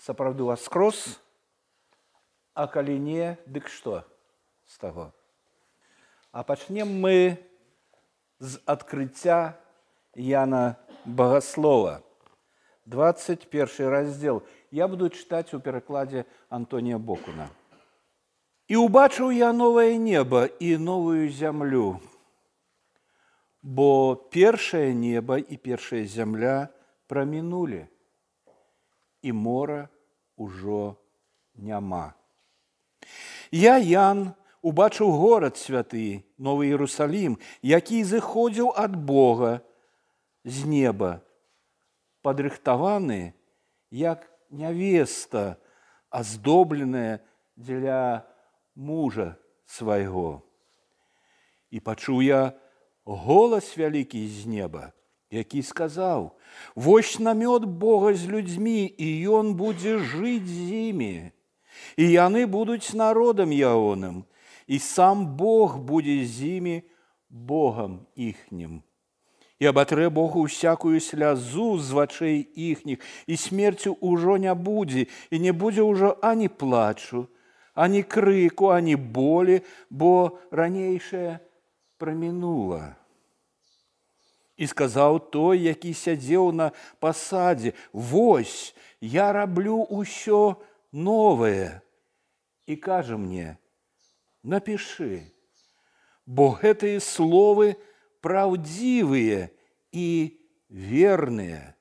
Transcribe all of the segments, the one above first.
сапраўды воскрос, а калі не, дык што з таго? А пачнем мы з адкрыцця Яна Багаслова. 21 раздзел. Я буду чытаць у перакладзе Антонія Бокуна. «І ўбачыў я новае неба і новую зямлю, бо першае неба і першая зямля прамінулі, і мора ўжо няма. Я, Ян, убачыў горад святы, Новы Іерусалім, які зыходзіў ад Бога з неба, падрыхтаваны, як нявеста, аздобленая дзеля мужа свайго. І пачуў я голас вялікі з неба, які сказаў: вось намёт Бога з людзьмі, і ён будзе жыць з імі, і яны будуць народам ягоным, і сам Бог будзе з імі Богам іхнім. І абатрэ Богу всякую слязу з вачэй іхніх, і смерцю ўжо не будзе, і не будзе ўжо ані плачу, ані крыку, ані болі, бо ранейшае прамінула. І сказаў той, які сядзеў на пасадзе: вось, я раблю ўсё новае. І кажа мне: напішы, бо гэтыя словы праўдзівыя і верныя.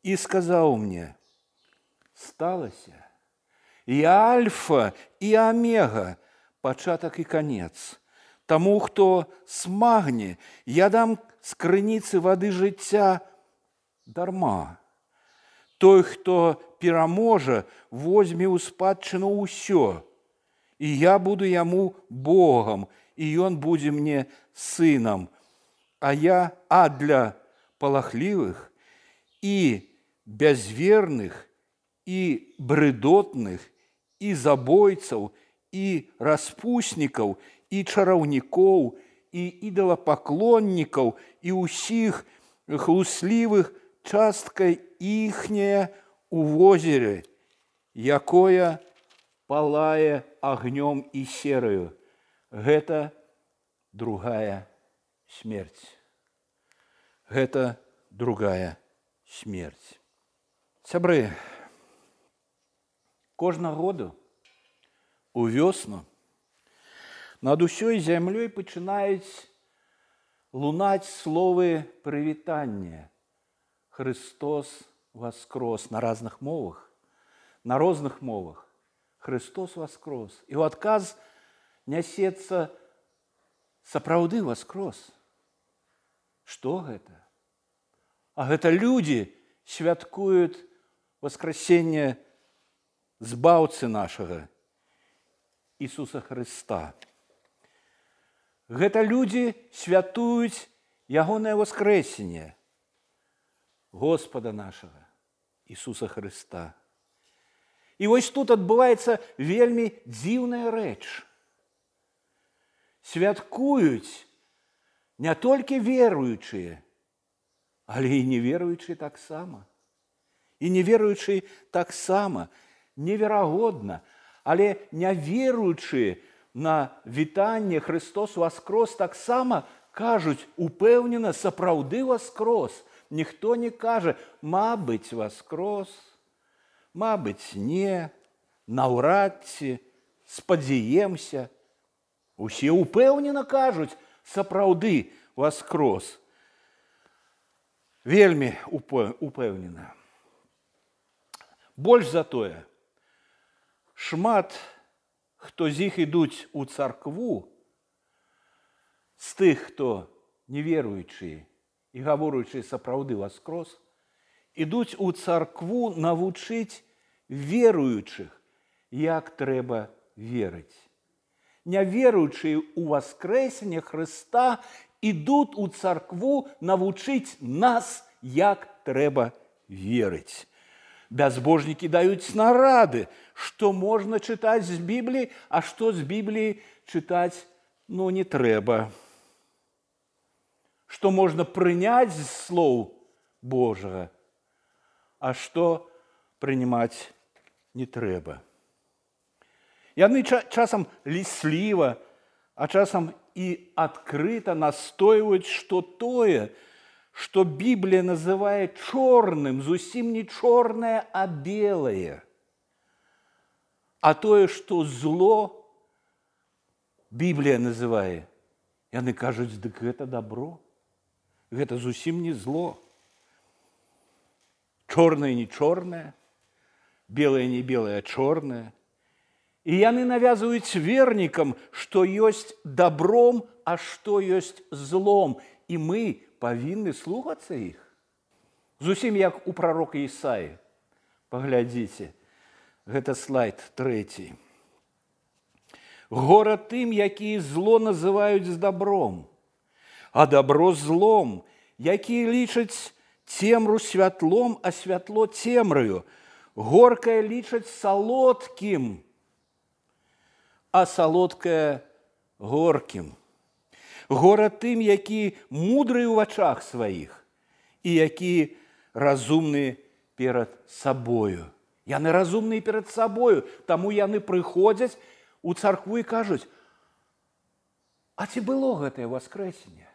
І сказаў мне: сталася. Я альфа і омега, пачатак і канец. Таму, хто смагне, я дам з крыніцы вады жыцця дарма. Той, хто пераможа, возьме ў спадчыну ўсё, і я буду яму Богам, і ён будзе мне сынам. А для палахлівых і бязверных, і брыдотных, і забойцаў, і распуснікаў, і чараўнікоў, і ідалапаклоннікаў, і ўсіх хлуслівых частка іхняя у возеры, якое палае агнём і сераю. Гэта другая смерць. Гэта другая смерць. Сябры, кожнага году у вёсну над усёй зямлёй пачынаюць лунаць словы прывітання: Христос воскрос. На разных мовах, на розных мовах. Христос воскрос. І ў адказ нясецца: сапраўды воскрос. Што гэта? А гэта людзі святкуюць воскресенне збаўцы нашага Ісуса Христа. Гэта людзі святуюць ягонае воскрэсенне Господа нашага Ісуса Христа. І вось тут адбываецца вельмі дзіўная рэч. Святкуюць не толькі веруючыя, але і неверуючыя таксама. І неверуючыя таксама. Неверагодна, але няверуючыя на вітанне «Христос воскрос» таксама кажуць упэўнена: сапраўды воскрос. Ніхто не кажа: мабыць, воскрос, мабыць, не, наўрад ці, спадзяемся. Усе упэўнена кажуць: сапраўды воскрос. Вельмі упэўнена. Больш за тое, шмат хто з іх ідуць у царкву, з тых, хто неверуючыя і гаворучыя сапраўды воскрос, ідуць у царкву навучыць веруючых, як трэба верыць. Няверуючыя ў воскрэсенне Христа ідуць у царкву навучыць нас, як трэба верыць. Бязбожнікі даюць нарады, што можна чытаць з Бібліі, а што з Бібліі чытаць не трэба. Што можна прыняць з слоў Божага, а што прынимать не трэба. Яны часам лісліва, а часам і адкрыта настойваюць, што тое, што Біблія называе чорным, зусім не чорнае, а белае. А тое, што зло, Біблія называе, яны кажуць, дык гэта добро, гэта зусім не зло. Чорнае не чорнае, белае не белае, а чорнае. І яны навязваюць вернікам, што ёсць добром, а што ёсць злом. І мы павінны слухацца іх. Зусім як у прарока Ісаі. Паглядзіце, гэта слайд 3. Гора тым, якія зло называюць добром, а добро злом, якія лічаць цемру святлом, а святло цемраю. Горкае лічаць салодкім, а салодкае горкім. Гора тым, які мудрыя ў вачах сваіх і які разумны перад сабою. Яны разумныя перад сабою, таму яны прыходзяць у царкву і кажуць, а ці было гэтае воскрэсенне?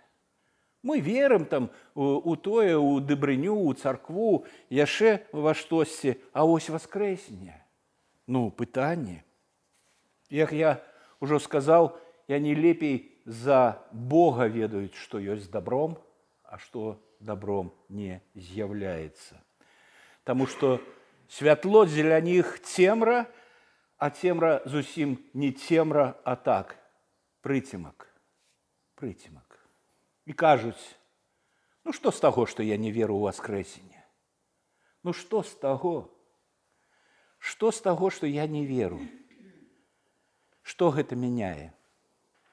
Мы верым там у тое, у дабрыню, у царкву, яшчэ во штосьці, а ось воскрэсенне. Ну, пытанне. Як я ўжо сказаў, яны лепей за Бога ведаюць, што ёсць добром, а што добром не з'яўляецца. Таму што святло дзеля них цемра, а цемра зусім не цемра, а так, прыцемак. Прыцемак. І кажуць, ну што з таго, што я не веру ў воскрэсенне? Ну што з таго? Што з таго, што я не веру? Што гэта мяняе?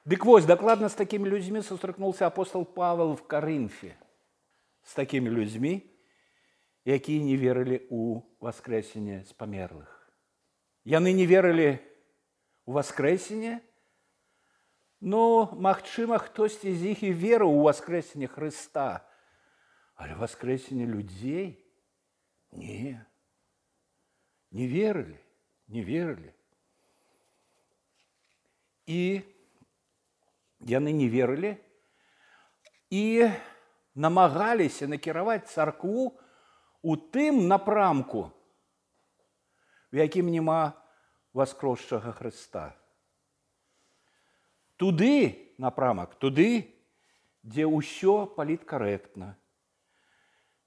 Дык вось, дакладна з такімі людзьмі сустракнуўся апостол Павел в Карынфе. З такімі людзьмі, якія не верылі ў воскрэсенне з памерлых. Яны не верылі ў воскрэсенне, ну, магчыма, хтосьці з іх і верыў у воскрэсенне Хрыста. Але воскрэсенне людзей? Не. Не верылі, не верылі. І яны не верылі і намагаліся накіраваць царкву у тым напрамку, в якім няма воскросшага Хрыста. Туды напрамак, туды, дзе ўсё паліткарэктна,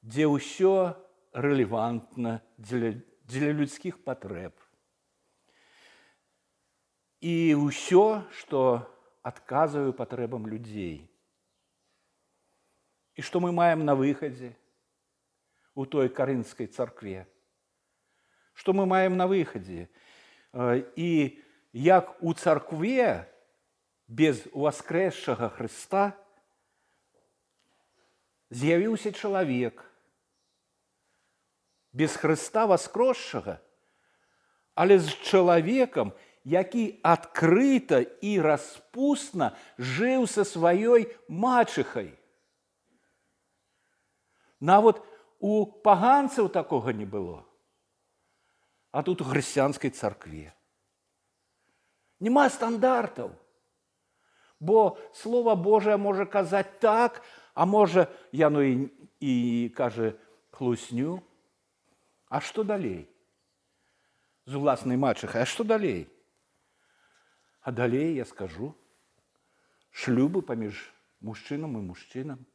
дзе ўсё рэлевантна для людскіх патрэб. І ўсё, што адказвае патрэбам людзей. І што мы маем на выхадзе у той карынскай царкве? Што мы маем на выхадзе? І як у царкве без воскрэсшага Хрыста з'явіўся чалавек, без Хрыста воскросшага, але з чалавекам, які адкрыта і распусна жыў са сваёй мачыхай. Нават у паганцаў такога не было. А тут у хрысціянскай царкве. Нема стандартаў. Бо Слова Божае можа казаць так, а можа яно і кажа хлусню. А што далей? З уласнай мачыхай, а што далей? А далей я скажу, шлюбы паміж мужчынам і мужчынам,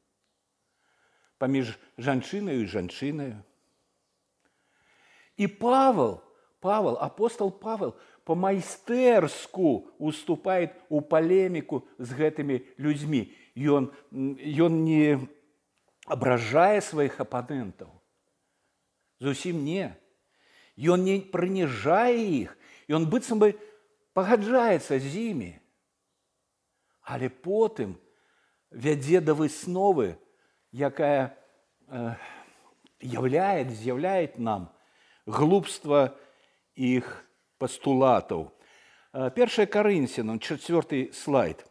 паміж жанчынаю і жанчынаю. І апостол Павел по-майстэрску уступает у палеміку з гэтымі людзьмі. Ён не абражае сваіх апанентаў. Зусім не. Ён не прыніжае іх. Ён быццам бы пагаджаецца з імі. Але потым вядзе да высновы, якая з'яўляе нам глупства іх пастулатаў. 1 Карынцянам, 4 слайд.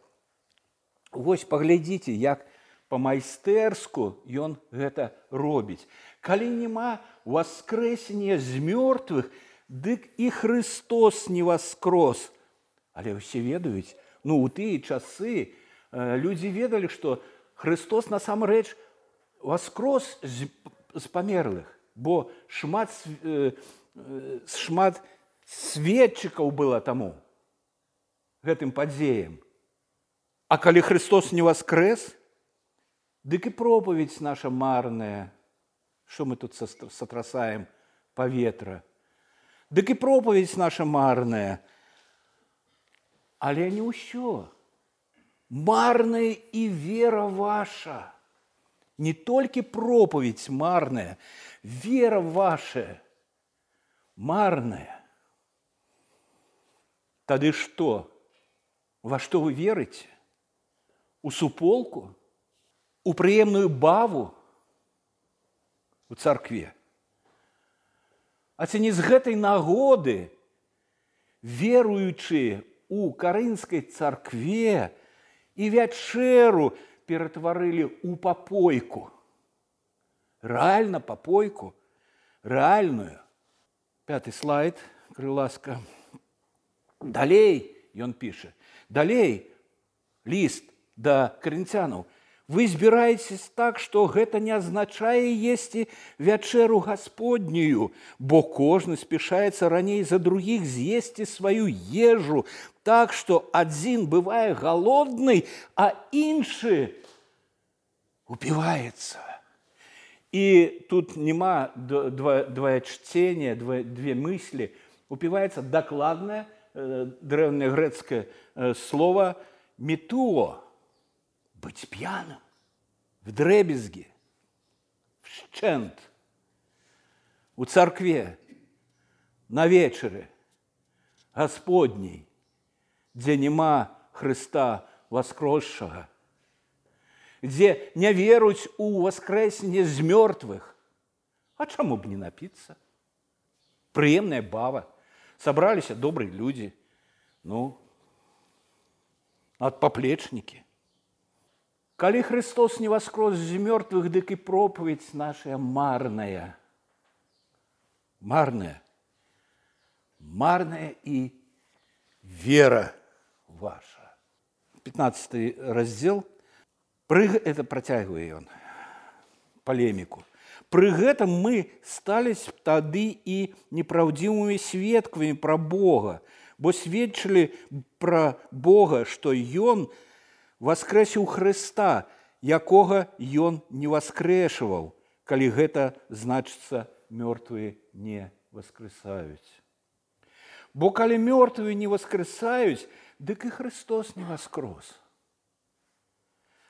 Вось паглядзіце, як па-майстэрску ён гэта робіць. Калі няма воскрэсення з мёртвых, дык і Христос не воскрос. Але ўсе ведаюць, у тыя часы людзі ведалі, што Христос насамрэч воскрос з памерлых, бо шмат сведчыкаў было таму гэтым падзеям. А калі Христос не воскрес, дык і пропаведь наша марная, што мы тут сотрасаем паветра, дык і пропаведь наша марная. Але не ўсё. Марная і вера ваша. Не толькі пропаведь марная, вера ваша марная. Тады што? Во што вы верыце? У суполку? У прыемную баву? У царкве? А ці не з гэтай нагоды веруючыя у Карынскай царкве і вячэру ператварылі ў папойку? Рэальна папойку? Рэальную. 5 слайд, калі ласка. Далей, ён піша, далей ліст да карынцянаў. Вы збіраецесь так, што гэта не азначае есці вячэру Гасподнюю, бо кожны спяшаецца раней за другіх з'есці сваю ежу, так, што адзін бывае галодны, а іншы упіваецца. І тут няма двоечцення, две мыслі. Упіваецца дакладнае древнегрецкое слово «метуо» – быть пьяным, вдребезги, вщент. У церкве, на вечере Господней, где нема Христа воскресшего, где не веруюць у воскресение з мертвых, а чему бы не напиться? Приемная бава. Собрались добрые люди, отпоплечники. Калі Христос не воскрес з мертвых, дык і проповедь наша марная. Марная. Марная и вера ваша. 15 раздел. Это протягивает он полемику. Пры гэтым мы стались тады і непраўдзівымі сведкамі пра Бога, бо сведчылі пра Бога, што Ён воскрэсіў Хрыста, якога Ён не воскрэшваў, калі гэта значыцца мёртвыя не воскрэсаюць. Бо калі мёртвыя не воскрэсаюць, дык і Христос не воскрос.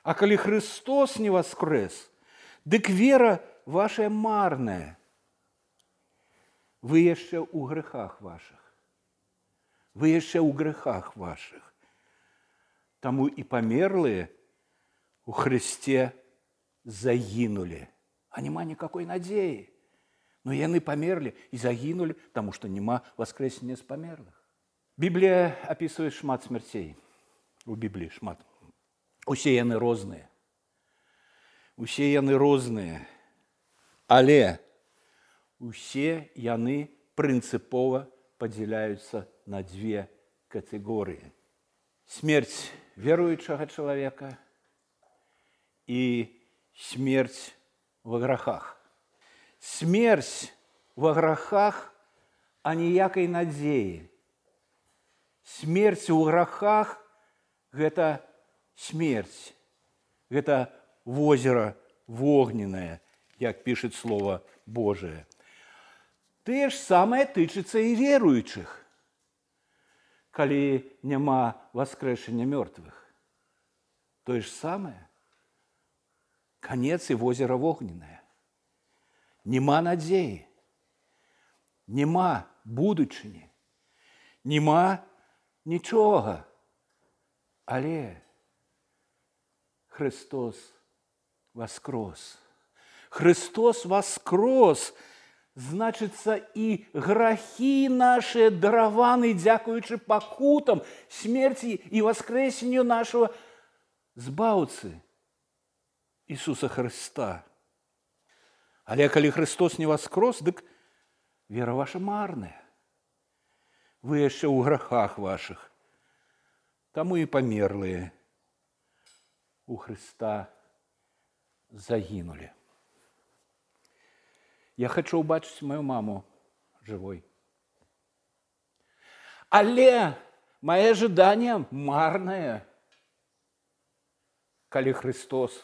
А калі Христос не воскрэс, дык вера ваша марная. Вы яшчэ ў грэхах вашых. Вы яшчэ ў грэхах вашых. Таму і памерлыя у Христе загінулі. А няма никакой надзеі. Но яны памерлі і загінулі, таму што няма воскрэсення з памерлых. Біблія апісвае шмат смерцей. У Бібліі шмат. Усе яны розныя. Усе яны розныя. Але усе яны прынцыпова падзяляюцца на две катэгорыі. Смерць веруючага чалавека і смерць во грахах. Смерць во грахах, а ніякай надзеі. Смерць у грахах – гэта смерць. Гэта возера вогненное, як пішет Слово Божие. Те ж самае тычыцца і веруючых, калі няма воскрэшення мёртвых. То ж самае. Канец і возера вогненное. Нема надзеі, нема будучыні, нема нічога. Але Христос воскрос. Христос воскрос, значыцца, і грахі наши дараваны, дзякуючы пакутам, смерці і воскрэсенню нашего збаўцы Ісуса Христа. Але калі Христос не воскрос, дык вера ваша марная. вы яшчэ ў грахах вашых, таму і памерлыя у Хрыста загінулі. Я хочу убачыць мою маму живой. Але мое ожидание марное, калі Христос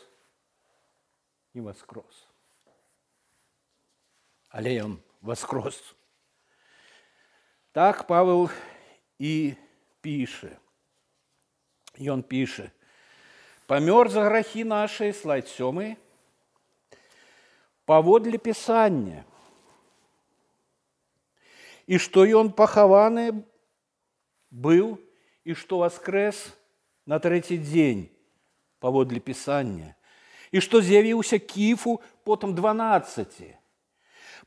не воскрос. Але он воскрос. Так Павел и пише. И он пише: «Помер за грехи наши, слайд 7, поводле Писания, и что и он похованы был, и что воскрес на третий день, поводле Писания, и что з'явился Кифу, потом 12,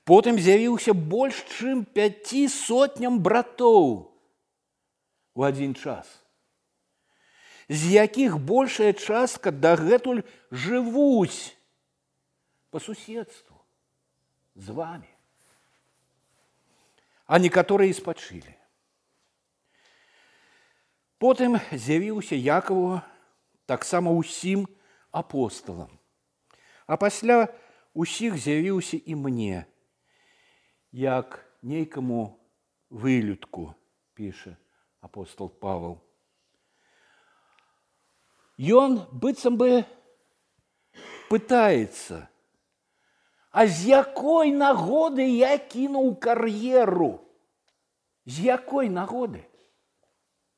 потом з'явился больше, чем 500 братов в один час, з яких большая частка дагэтуль живуць по суседству з вами, а некоторые и спочили. Потым з'явіўся Якаву таксама ўсім апосталам, а пасля усіх з'явіўся і мне, як нейкаму вылюдку, піша апостол Павел. Ён быццам бы пытаецца: а з якой нагоды я кінуў кар'еру? З якой нагоды?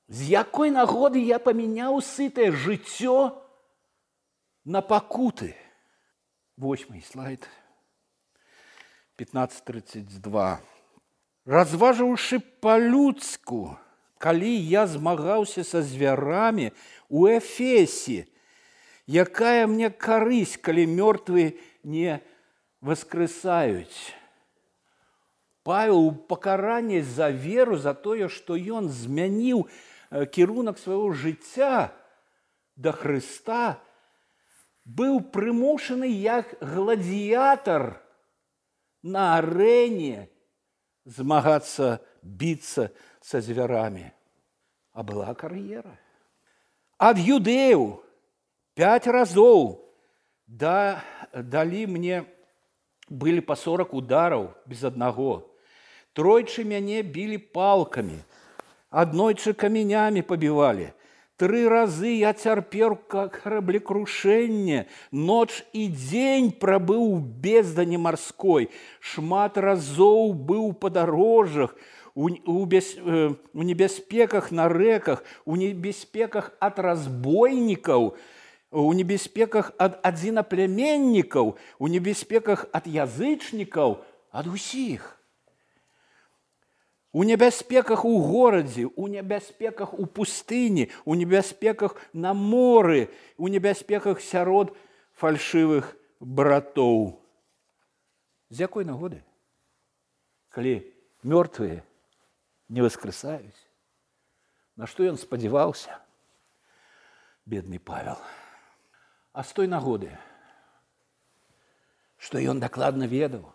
З якой нагоды я памяняў сытае жыццё на пакуты? 8 слайд, 15:32. Разважыўшы па-людску, калі я змагаўся са звярамі у Эфесе, якая мне карысць, калі мёртвыя не воскресаюць? Павел у пакаранні за веру, за тое, што ён змяніў кірунак свайго жыцця да Хрыста, быў прымушаны як гладыятар на арэне змагацца, біцца са звярамі. А была кар'ера. Ад юдэяў 5 разоў далі мне былі па 40 удараў без аднаго. Тройчы мяне білі палкамі, аднойчы каменямі пабівалі. 3 разы я цярпеў караблекрушэнне, ноч і дзень прабыў у бездані марской, шмат разоў быў у падарожжах, у небяспеках на рэках, у небяспеках ад разбойнікаў, у небяспеках ад адзінаплемяннікаў, у небяспеках ад язычнікаў, ад усіх. У небяспеках у горадзе, у небяспеках у пустыні, у небяспеках на моры, у небяспеках сярод фальшывых братоў. З якой нагоды? Калі мёртвыя не воскресаюць. На што ён спадзяваўся, бедны Павел? А з той нагоды, што ён дакладна ведаў,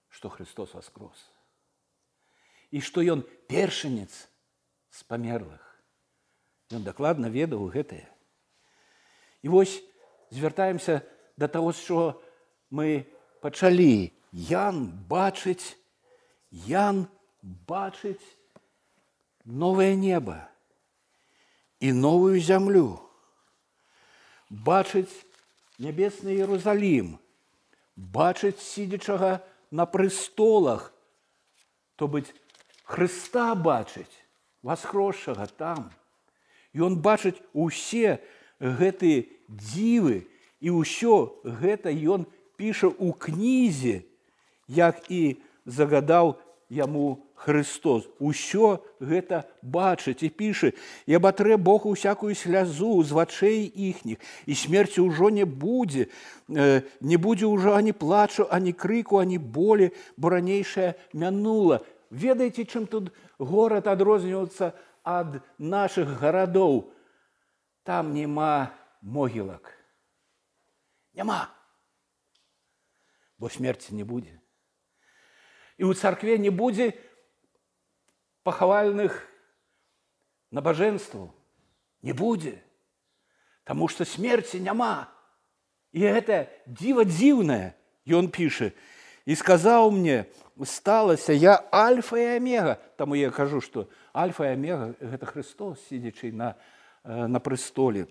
што Христос воскрос, і што ён першынец з памерлых. Ён дакладна ведаў гэтае. І вось звяртаемся да таго, што мы пачалі. Ян бачыць новае неба і новую зямлю. Бачыць нябесны Іерусалім, бачыць сидячага на престолах, то быць Христа бачыць, воскросшага там. І он бачыць усе гэтыя дзівы, і ўсё гэта ён піша ў кнізе, як і загадаў яму Христос. Усё гэта бачыць і піша: «І абатрэ Бог усякую слязу з вачэй іхніх, і смерці ўжо не будзе ўжо ані плачу, ані крыку, ані болі, бо ранейшае мянула». Ведаеце, чым тут горад адрозніваецца ад нашых гарадоў? Там няма могілак. Няма. Бо смерці не будзе. І ў царкве не будзе пахавальных набажэнстваў не будзе, таму што смерці няма. І гэта дзіва дзіўнае, ён піша. І сказаў мне, сталася, я альфа і омега. Таму я кажу, што альфа і омега – гэта Христос, сидячи на престоле.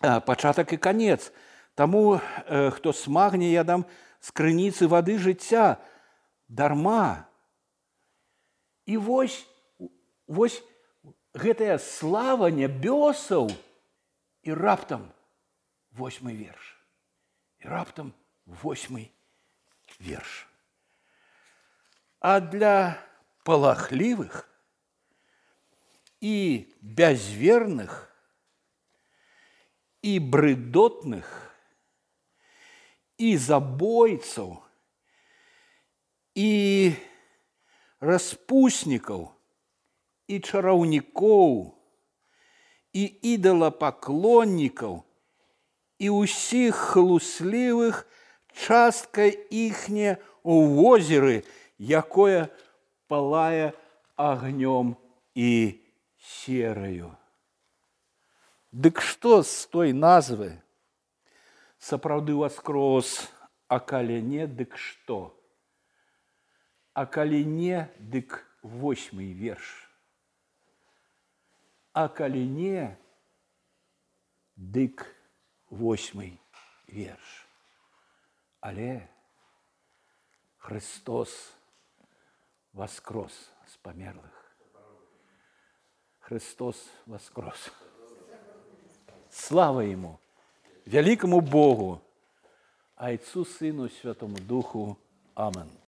Пачатак і канец. Таму, хто смагне, я дам з крыніцы вады жыцця дарма. І вось гэтая слава нябёсаў і раптам 8 верш. І раптам 8 верш. А для палахлівых і бязверных і брыдотных і забойцаў і распуснікаў і чараўнікоў і ідалапаклоннікаў і ўсіх хлуслівых частка іхняя ў возеры, якое палае агнём і сераю. Дык што з той назвы? Сапраўды воскрос, а калі не, дык што? А калі не, дык 8 верш. А калі не, дык 8 верш. Але Христос воскрос з памерлых. Христос воскрос. Слава Ему, великому Богу, Отцу, Сыну, Святому Духу. Аминь.